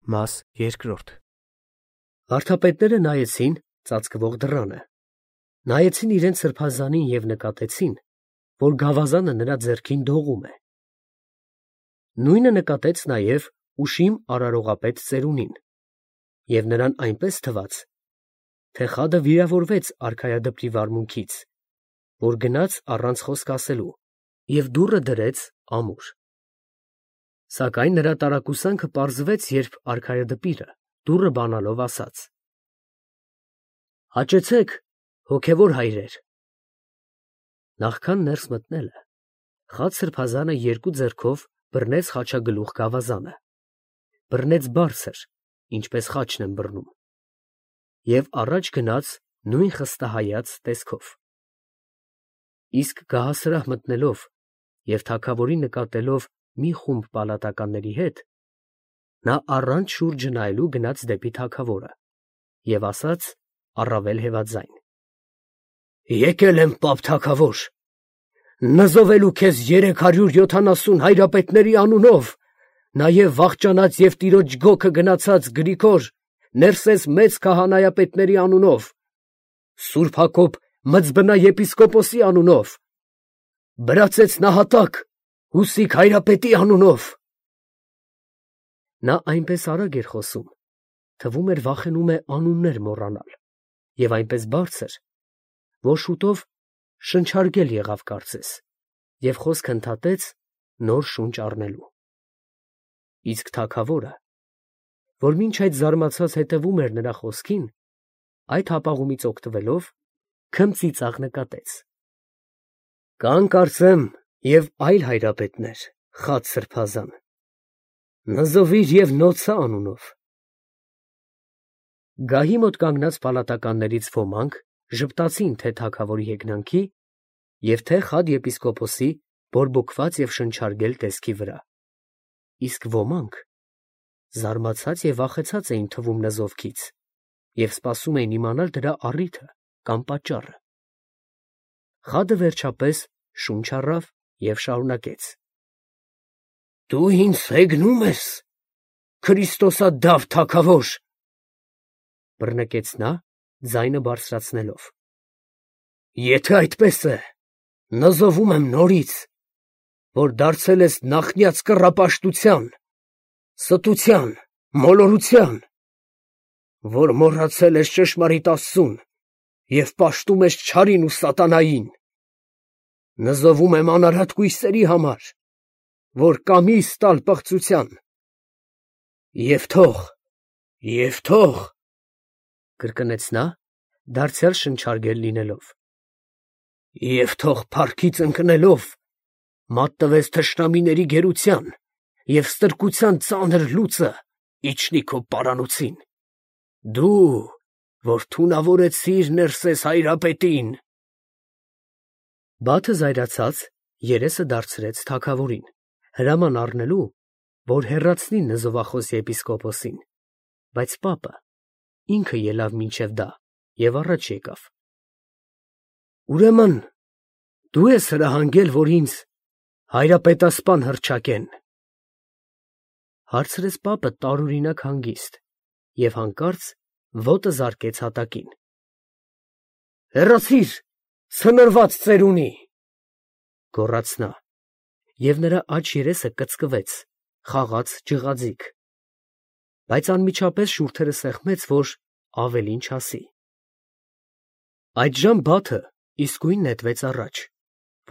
Մաս երկրորդ Վարդապետները նայեցին ծածկվող դռանը, նայեցին իրենց սրբազանին և նկատեցին, որ գավազանը նրա ձեռքին դողում է։ Նույնը նկատեց նաև ուշիմ արարողապետ ծերունին, և նրան այնպես թվաց, թե խադը վիրավորվեց արքայադպրի վարմունքից, որ գնաց առանց խոսք ասելու և դուռը դրեց ամուր։ Սակայն նրա տարակուսանքը պարզվեց, երբ արքայադպիրը դուռը բանալով ասաց. «Հաճեցեք, հոգևոր հայրեր»։ Նախքան ներս մտնելը, խաց սրբազանը երկու ձեռքով բռնեց խաչագլուխ գավազանը, բռնեց բարձր, ինչպես խաչն են բռնում, և առաջ գնաց նույն խստահայաց տեսքով։ Իսկ գահասրահ մտնելով և թագավորին նկատելով մի խումբ պալատականների հետ, նա առանց շուրջը նայելու գնաց դեպի թագավորը և ասաց առավել հեվաձայն. «Եկել եմ, պապ թագավոր, նզովելու քեզ 370 հայրապետների անունով, նաև վախճանած և տիրոջ գոգը գնացած Գրիգոր Ներսես մեծ քահանայապետների անունով, Սուրբ Հակոբ Մզբնա եպիսկոպոսի անունով, Բրածեց Նահատակ Հուսիկ հայրապետի անունով»։ Նա այնպես արագ էր խոսում, թվում էր վախենում է անուններ մոռանալ, և այնպես բարձր, որ շուտով շնչարգել եղավ կարծես, և խոսք ընդհատեց նոր շունչ առնելու։ Իսկ թագավորը, որ մինչ այդ զարմացած հետևում էր նրա խոսքին, այդ հապաղումից օգտվելով, քմծիծաղ նկատեց. «Կան, կարծեմ, և այլ հայրապետներ, խաց սրբազան, նզովիր և Նոցա անունով»։ Գահի մոտ կանգնած պալատականներից ոմանք ժպտացին թե թագավորի հեգնանքի և թե խադ եպիսկոպոսի բորբոքված և շնչարգել տեսքի վրա, իսկ ոմանք զարմացած և վախեցած էին թվում նզովքից և սպասում էին իմանալ դրա առիթը կամ պատճառը։ Խադը վերջապես շունչ առավ և շարունակեց. «Դու ինձ հեգնո՞ւմ ես, Քրիստոսադավ թագավոր», բռնկեց նա, ձայնը բարձրացնելով։ «Եթե այդպես է, նզովում եմ նորից, որ դարձել ես նախնյաց կռապաշտության, ստության, մոլորության, որ մոռացել ես ճշմարիտ Աստծուն և պաշտում ես չարին ու սատանային, նզովում եմ անարատ կույսերի համար, որ կամիս տալ պղծության, և թող, կրկնեց նա, դարձյալ շնչարգել լինելով, և թող փառքից ընկնելով մատնվես թշնամիների գերության և ստրկության ծանր լուծը իջնի քո պարանոցին, դու, որ թունավորեցիր Ներսես հայրապետին»։ Բաթը զայրացած երեսը դարձրեց թագավորին, հրաման առնելու, որ հեռացնի նզովախոս եպիսկոպոսին, բայց պապը ինքը ելավ մինչև դա և առաջ եկավ. «Ուրեմն դու ես հրահանգել, որ ինձ հայրապետասպան հռչակեն», հարցրեց պապը տարօրինակ հանգիստ և հանկարծ ոտը զարկեց հատակին։ «Հեռացի՛ր, ցնորված ծերունի», գոռաց նա, և նրա աջ երեսը կծկվեց, խաղաց ջղաձիգ, բայց անմիջապես շուրթերը սեղմեց, որ ավելին չասի։ Այդժամ Բաթը իսկույն նետվեց առաջ,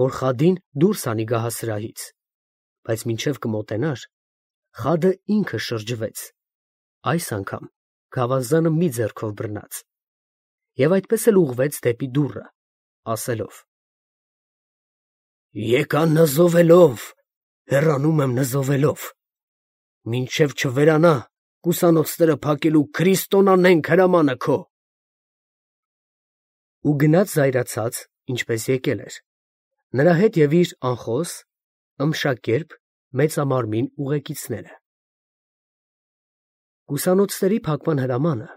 որ խադին դուրս հանի գահասրահից, բայց մինչև կմոտենար, խադը ինքը շրջվեց, այս անգամ գավազանը մի ձեռքով բռնած, և այդպես էլ ուղղվեց դեպի դուռը, ասելով. «Եկա նզովելով, հեռանում եմ նզովելով, մինչև չվերանա կուսանոցները փակելու քրիստոնանենգ հրամանը քո»։ Ու գնաց զայրացած, ինչպես եկել էր, նրա հետ և իր անխոս, ըմշակերպ մեծամարմին ուղեկիցները։ Կուսանոցների փակման հրամանը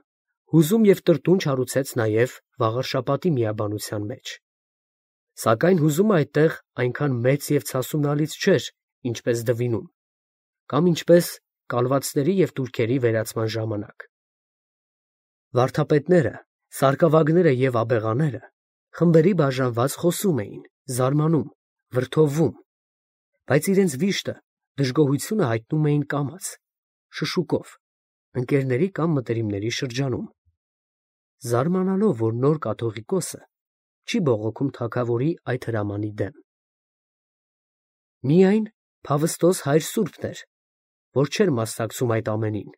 հուզում և տրտունջ հարուցեց նաև Վաղարշապատի միաբանության մեջ, սակայն հուզումը այդտեղ այնքան մեծ և ցասունալից չէր, ինչպես Դվինում, կամ ինչպես կալվածների և տուրքերի վերացման ժամանակ։ Վարդապետները, սարկավագները և աբեղաները խմբերի բաժանված խոսում էին, զարմանում, վրդովվում, բայց իրենց վիշտը, դժգոհությունը հայտնում էին կամաց, շշուկով, ընկերների կամ մտերիմների շրջանում, զարմանալով, որ նոր կաթողիկոսը չի բողոքում թագավորի այդ հրամանի դեմ։ Միայն Փավստոս հայր սուրբն էր, որ չէր մասնակցում այդ ամենին,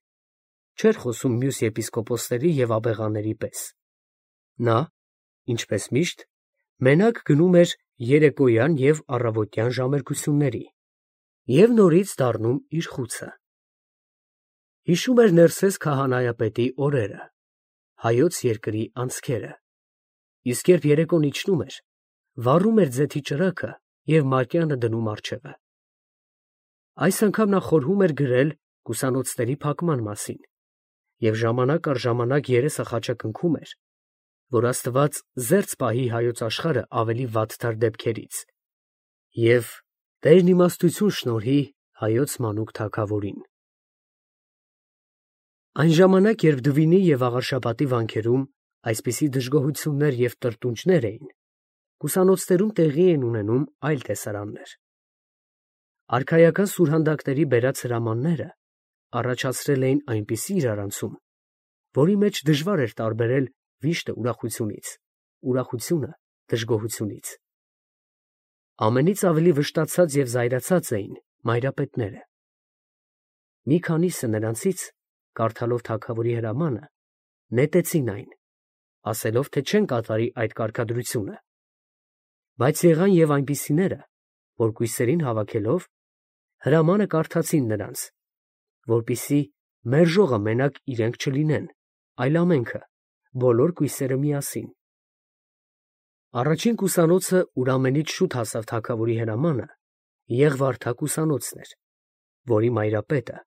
չէր խոսում մյուս եպիսկոպոսների և աբեղաների պես։ Նա, ինչպես միշտ, մենակ գնում էր երեկոյան և առավոտյան ժամերգությունների և նորից դառնում իր խուցը։ Հիշում էր Ներսես քահանայապետի օրերը, հայոց երկրի անցքերը, իսկ երբ երեկոն իջնում էր, վառում էր ձեթի ճրագը և մատյանը դնում առջևը։ Այս անգամ նա խորհում էր գրել կուսանոցների փակման մասին և ժամանակ առ ժամանակ երեսը խաչակնքում էր, որ Աստված զերծ պահի հայոց աշխարհը ավելի վատթար դեպքերից և Տերն իմաստություն շնորհի հայոց մանուկ թագավորին։ Այն ժամանակ, երբ Դվինի և Աղարշապատի վանքերում այսպիսի դժգոհություններ և տրտունջներ էին, կուսանոցներում տեղի էին ունենում այլ տեսարաններ։ Արքայական սուրհանդակների բերած հրամանները առաջացրել էին այնպիսի իրարանցում, որի մեջ դժվար էր տարբերել վիշտը ուրախությունից, ուրախությունը դժգոհությունից։ Ամենից ավելի վշտացած և զայրացած էին մայրապետները։ Մի քանիսը նրանցից, կարդալով թագավորի հրամանը, նետեցին այն, ասելով, թե չեն կատարի այդ կարգադրությունը, բայց եղան և այնպիսիները, որ կույսերին հավաքելով, հրամանը կարդացին նրանց, որպեսզի մերժողը մենակ իրենք չլինեն, այլ ամենքը, բոլոր կույսերը միասին։ Առաջին կուսանոցը, ուր ամենից շուտ հասավ թագավորի հրամանը, Եղվարդա կուսանոցն էր, որի մայրապետը,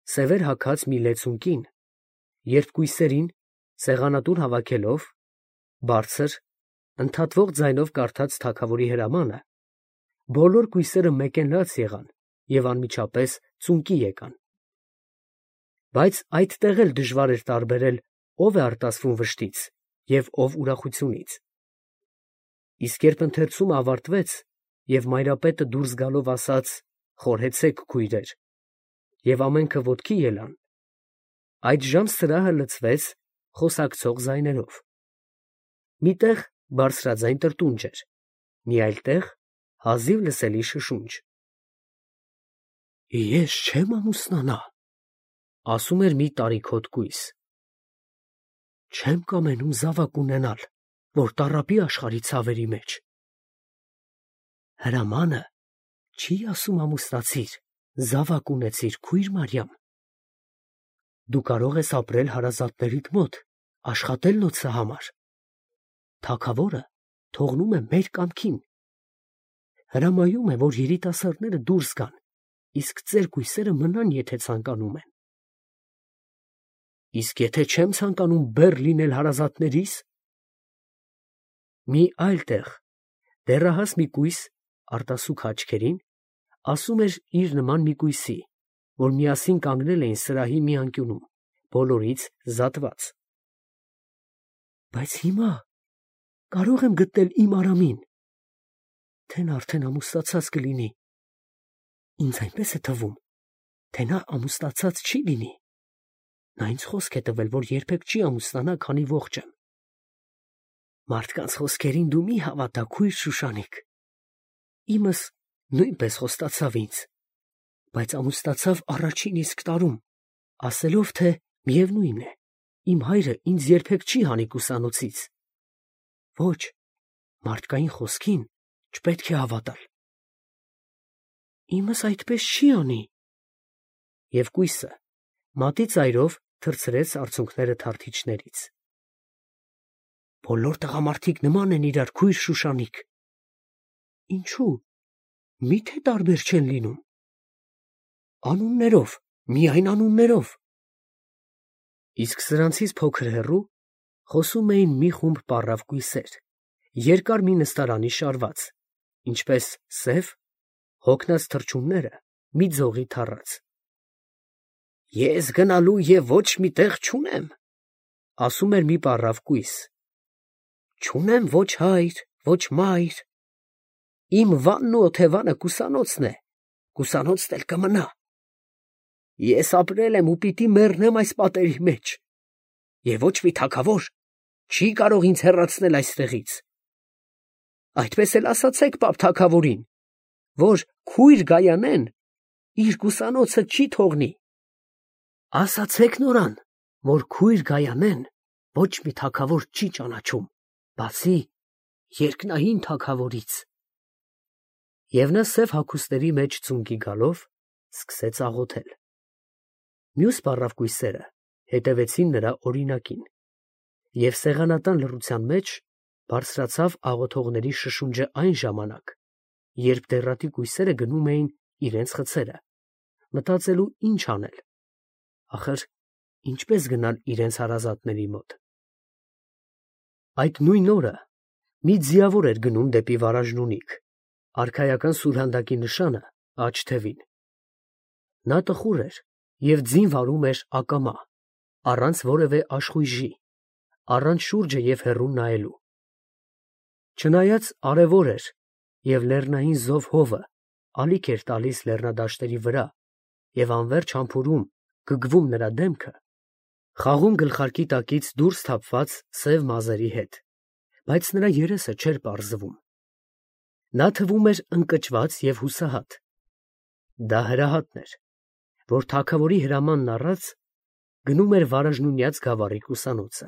սևեր հագած մի լեցուն կին, երբ կույսերին, սեղանատուն հավաքելով, բարձր, ընդհատվող ձայնով կարդաց թագավորի հրամանը, բոլոր կույսերը մեկենլաց եղան և անմիջապես ծունկի եկան։ Բայց այդտեղ էլ դժվար էր տարբերել, ով է արտասվում վշտից և ով ուրախությունից։ Իսկ երբ ընթերցումը ավարտվեց և մայրապետը դուրս գալով ասաց. «Խորհեցե՛ք, քույրեր», և ամենքը ոտքի ելան, այդժամ սրահը լցվեց խոսակցող ձայներով։ Մի տեղ բարձրաձայն տրտունջ էր, մի այլ տեղ հազիվ լսելի շշունջ։ «Ես չեմ ամուսնանա», ասում էր մի տարիքոտ կույս։ «Չեմ կամենում զավակ ունենալ, որ տառապի աշխարհի ցավերի մեջ»։ Հրամանը չի ասում ամուսնացիր, զավակ ունեցիր, քույր Մարիամ։ Դու կարող ես ապրել հարազատներիդ մոտ, աշխատել նոցը համար։ Թագավորը թողնում է մեր կամքին։ Հրամայում է, որ երիտասարդները դուրս գան, իսկ ծեր կույսերը մնան, եթե ցանկանում են։ Իսկ եթե չեմ ցանկանում բեռ լինել հարազատներիս։ Մի այլ տեղ դեռահաս մի կույս արտասուք աչքերին ասում էր իր նման մի կույսի, որ միասին կանգնել էին սրահի մի անկյունում, բոլորից զատված. Բայց հիմա կարող եմ գտնել իմ Արամին, թե նա արդեն ամուսնացած կլինի։ Ինձ այնպես է թվում, թե նա ամուսնացած չի լինի։ Նա ինձ խոսք է տվել, որ երբեք չի ամուսնանա, քանի ողջ եմ։ Մարդկանց խոսքերին դու մի հավատա, քույր Շուշանիկ։ Իմս նույնպես խոստացավ ինձ, բայց ամուսնացավ առաջին իսկ տարում, ասելով, թե միևնույն է, իմ հայրը ինձ երբեք չի հանի կուսանոցից։ Ոչ, մարդկային խոսքին չպետք է հավատալ։ Իմս այդպես չի անի։ Եվ կույսը մատի ծայրով թռցրեց արցունքները թարթիչներից։ Բոլոր տղամարդիկ նման են իրար, քույր Շուշանիկ։ Ինչու՞, միթե տարբեր չեն լինում։ Անուններով, միայն անուններով։ Իսկ սրանցից փոքր հեռու խոսում էին մի խումբ պառավ կույսեր, երկար մի նստարանի շարված, ինչպես սև, հոգնած թռչունները մի ձողի թառած։ Ես գնալու և ոչ մի տեղ չունեմ, ասում էր մի պառավ կույս. չունեմ ոչ հայր, ոչ մայր, իմ վանն ու օթևանը կուսանոցն է, կուսանոցն էլ կմնա, ես ապրել եմ ու պիտի մեռնեմ այս պատերի մեջ, և ոչ մի թագավոր չի կարող ինձ հեռացնել այստեղից. այդպես էլ ասացեք պապ թագավորին, որ քույր Գայանեն իր կուսանոցը չի թողնի. ասացեք նորան, որ քույր Գայանեն ոչ մի թագավոր չի ճանաչում, բացի երկնային թագավորից։ Եվ նա սև հագուստների մեջ ծունկի գալով սկսեց աղոթել։ Մյուս պառավկույսերը հետևեցին նրա օրինակին, և սեղանատան լռության մեջ բարձրացավ աղոթողների շշունջը այն ժամանակ, երբ դեռատի կույսերը գնում էին իրենց խցերը, մտածելու ինչ անել, ախր ինչպես գնալ իրենց հարազատների մոտ։ Այդ նույն օրը մի ձիավոր էր գնում դեպի Վարաժնունիք, արքայական սուրհանդակի նշանը աջ թևին։ Նա տխուր էր և ձին վարում էր ակամա, առանց որևէ աշխույժի, առանց շուրջը և հեռուն նայելու։ Չնայած արևոր էր և լեռնային զով հովը ալիք էր տալիս լեռնադաշտերի վրա և անվերջ համբուրում գգվում նրա դեմքը, խաղում գլխարկի տակից դուրս թափված սև մազերի հետ, բայց նրա երեսը չէր պարզվում։ Նա թվում էր ընկճված և հուսահատ։ Դա հրահատն էր, որ թագավորի հրամանն առած գնում էր Վարաժնունյաց գավառի կուսանոցը։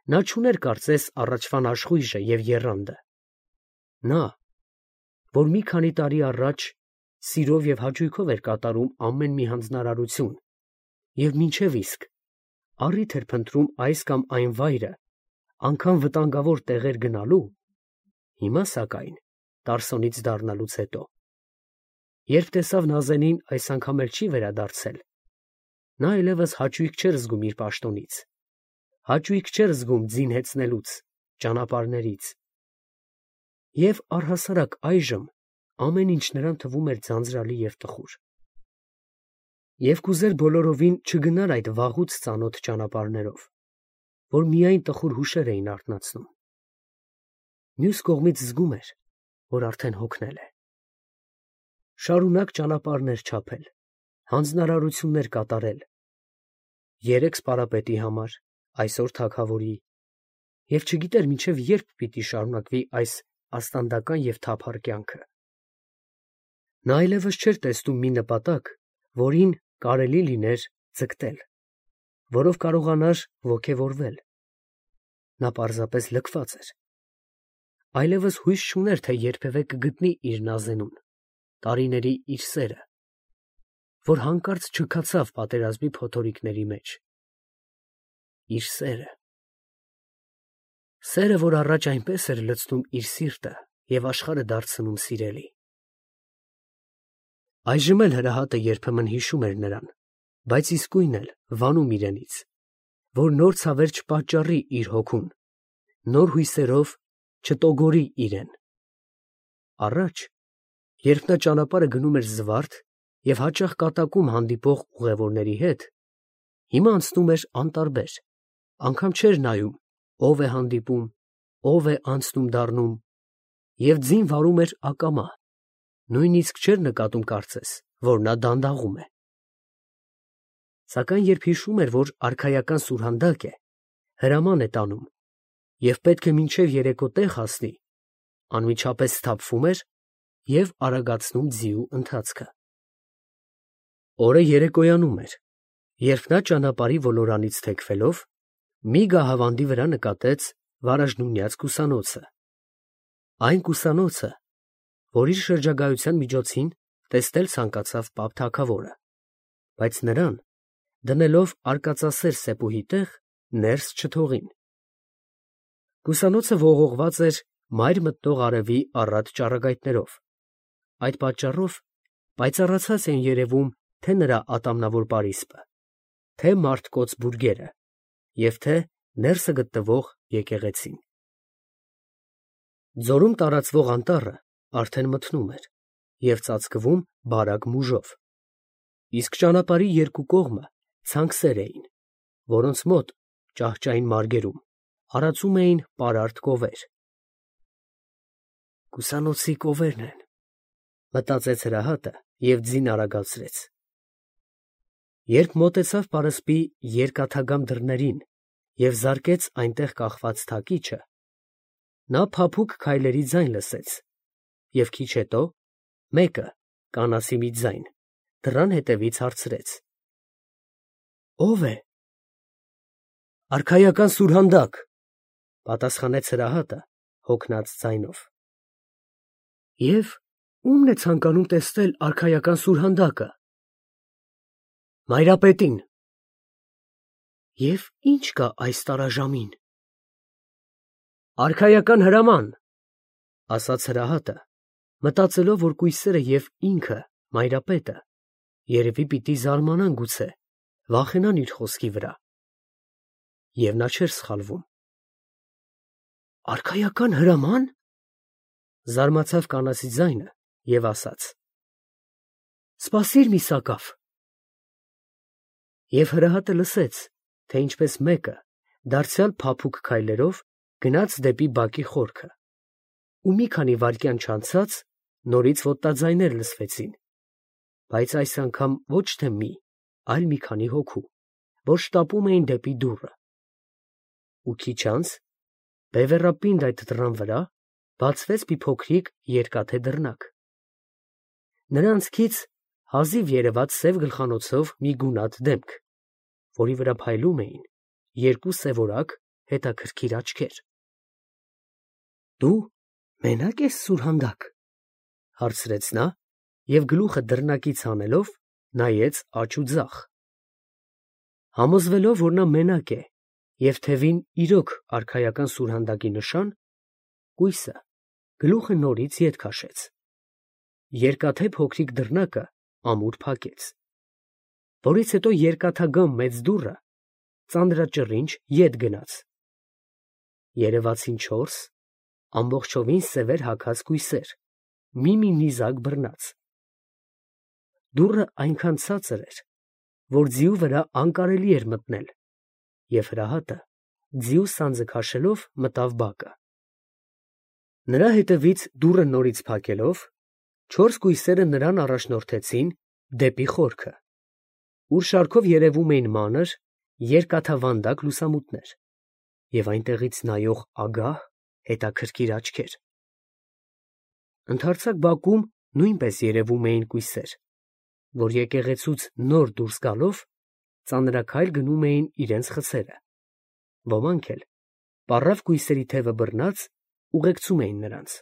Նա չուներ կարծես առաջվան աշխույժը և եռանդը։ Նա, որ մի քանի տարի առաջ սիրով և հաճույքով էր կատարում ամեն մի հանձնարարություն և մինչև իսկ առիթ էր փնտրում այս կամ այն վայրը, անգամ վտանգավոր տեղեր գնալու, հիմա սակայն, Տարսոնից դառնալուց հետո, երբ տեսավ Նազենին այս անգամ էլ չի վերադարձել, նա այլևս հաճույք չէր զգում իր պաշտոնից, հաճույք չէր զգում ձին հեծնելուց, ճանապարհներից, և առհասարակ այժմ ամեն ինչ նրան թվում էր ձանձրալի և տխուր։ Եվ կուզեր բոլորովին չգնալ այդ վաղուց ծանոթ ճանապարհներով, որ միայն տխուր հուշեր էին արթնացնում։ Մյուս կողմից զգում էր, որ արդեն հոգնել է։ Շարունակ ճանապարհներ չափել, հանձնարարություններ կատարել, երեկ սպարապետի համար, այսօր թագավորի, և չգիտեր մինչև երբ պիտի շարունակվի այս աստանդական և թափառ կյանքը։ Նա այլևս չէր տեսնում մի նպատակ, որին կարելի լիներ ձգտել, որով կարողանար ոգևորվել։ Նա պարզապես լքված էր։ Այլևս հույս չուներ, թե երբևէ կգտնի իր Նազենուն, տարիների իր սերը, որ հանկարծ չքացավ պատերազմի փոթորիկների մեջ։ Իր սերը, որ առաջ այնպես էր լցնում իր սիրտը և աշխարհը դարձնում սիրելի։ Այժմ էլ հրահատը երբեմն հիշում էր նրան, բայց իսկույն էլ վանում իրենից, որ նոր ցավեր չպատճառի իր հոգուն, նոր հույսերով չտոգորի իրեն։ Առաջ, երբ նա ճանապարհը գնում էր զվարթ և հաճախ կատակում հանդիպող ուղևորների հետ, հիմա անցնում էր անտարբեր, անգամ չէր նայում, ով է հանդիպում, ով է անցնում դառնում, և ձին վարում էր ակամա, նույնիսկ չէր նկատում կարծես, որ նա դանդաղում է։ Սակայն երբ հիշում էր, որ արքայական սուրհանդակ է, հրաման է տանում և պետք է մինչև երեկո տեղ հասնի, անմիջապես սթափվում էր և արագացնում ձիու ընթացքը։ Օրը երեկոյանում էր, երբ նա ճանապարհի ոլորանից թեքվելով մի գահավանդի վրա նկատեց Վարաժնունյաց կուսանոցը, այն կուսանոցը, որ իր շրջագայության միջոցին տեսնել ցանկացավ պապ թագավորը, բայց նրան, դնելով արկածասեր սեպուհի տեղ, ներս չթողին։ Կուսանոցը ողողված էր մայր մտնող արևի առատ ճառագայթներով, այդ պատճառով պայծառացած էին երևում թե նրա ատամնավոր պարիսպը, թե մարդկոծ բուրգերը և թե ներսը գտնվող եկեղեցին։ Ձորում տարածվող անտառը արդեն մթնում էր և ծածկվում բարակ մուժով։ իսկ ճանապարհի երկու կողմը ցանքսեր էին, որոնց մոտ ճահճային մարգերում արածում էին պարարտ կովեր։ «Կուսանոցի կովերն են», մտածեց Հրահատը և ձին արագացրեց։ Երբ մոտեցավ պարսպի երկաթագամ դռներին և զարկեց այնտեղ կախված թակիչը, նա փափուկ քայլերի ձայն լսեց և քիչ հետո մեկը, կանացի մի ձայն, դռան հետևից հարցրեց. «Ո՞վ է»։ «Արքայական սուրհանդակ», պատասխանեց Հրահատը հոգնած ձայնով։ «Եվ ո՞ւմն է ցանկանում տեսնել արքայական սուրհանդակը»։ «Մայրապետին»։ «Եվ ի՞նչ կա այս տարաժամին»։ «Արքայական հրաման», ասաց Հրահատը, մտածելով, որ կույսերը և ինքը, մայրապետը, երևի պիտի զարմանան գուցե, վախենան իր խոսքի վրա։ Եվ նա չէր սխալվում։ «Արքայական հրաման», զարմացավ կանացի ձայնը և ասաց. «Սպասիր մի սակավ»։ Եվ Հրահատը լսեց, թե ինչպես մեկը, դարձյալ փափուկ քայլերով գնաց դեպի բակի խորքը, ու մի քանի վայրկյան չանցած նորից ոտնաձայներ լսվեցին, բայց այս անգամ ոչ թե մի, այլ մի քանի հոգու, որ շտապում էին դեպի դուռը։ Ու քիչ անց, բևեռապինդ այդ դռան վրա բացվեց մի փոքրիկ երկաթե դռնակ։ Նրանցքից հազիվ երևաց սև գլխանոցով մի գունատ դեմք, որի վրա փայլում էին երկու սևորակ հետաքրքիր աչքեր։ «Դու մենակ ես, սուրհանդակ», հարցրեց նա և գլուխը դռնակից հանելով նայեց աջ ու ձախ։ Համոզվելով, որ նա մենակ է և թևին իրոք արքայական սուրհանդակի նշան, կույսը գլուխը նորից ետ քաշեց։ Երկաթե փոքրիկ դռնակը ամուր փակեց, որից հետո երկաթագամ մեծ դուռը ծանրաճռինչ ետ գնաց։ Երևացին 4 ամբողջովին սևեր հագած կույսեր, մի նիզակ բռնած։ Դուռը այնքան ցածր էր, որ ձիու վրա անկարելի էր մտնել, և Հրահատը ձիու սանձը քաշելով մտավ բակը։ Նրա հետևից դուռը նորից փակելով, 4 կույսերը նրան առաջնորդեցին դեպի խորքը, ուր շարքով երևում էին մանր, երկաթավանդակ լուսամուտներ և այնտեղից նայող ագահ, հետաքրքիր աչքեր։ Ընդարձակ բակում նույնպես երևում էին կույսեր, որ եկեղեցուց նոր դուրս գալով ծանրաքայլ գնում էին իրենց խցերը, ոմանք էլ, պառավ կույսերի թևը բռնած, ուղեկցում էին նրանց։